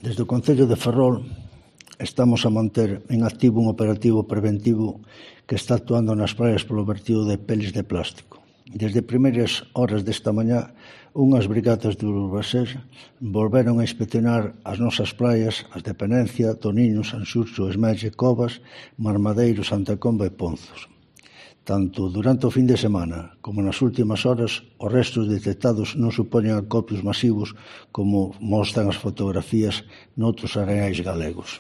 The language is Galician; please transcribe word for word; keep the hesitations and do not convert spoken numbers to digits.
Desde o Concello de Ferrol estamos a manter en activo un operativo preventivo que está actuando nas praias polo vertido de peles de plástico. Desde primeiras horas desta mañá, unhas brigadas de Urbasés volveron a inspeccionar as nosas praias, as de Penencia, Toniño, Sanxurxo, Esmelle, Covas, Marmadeiro, Santa Comba e Ponzos. Tanto durante o fin de semana como nas últimas horas, os restos detectados non supoñen acopios masivos como mostran as fotografías noutros areais galegos.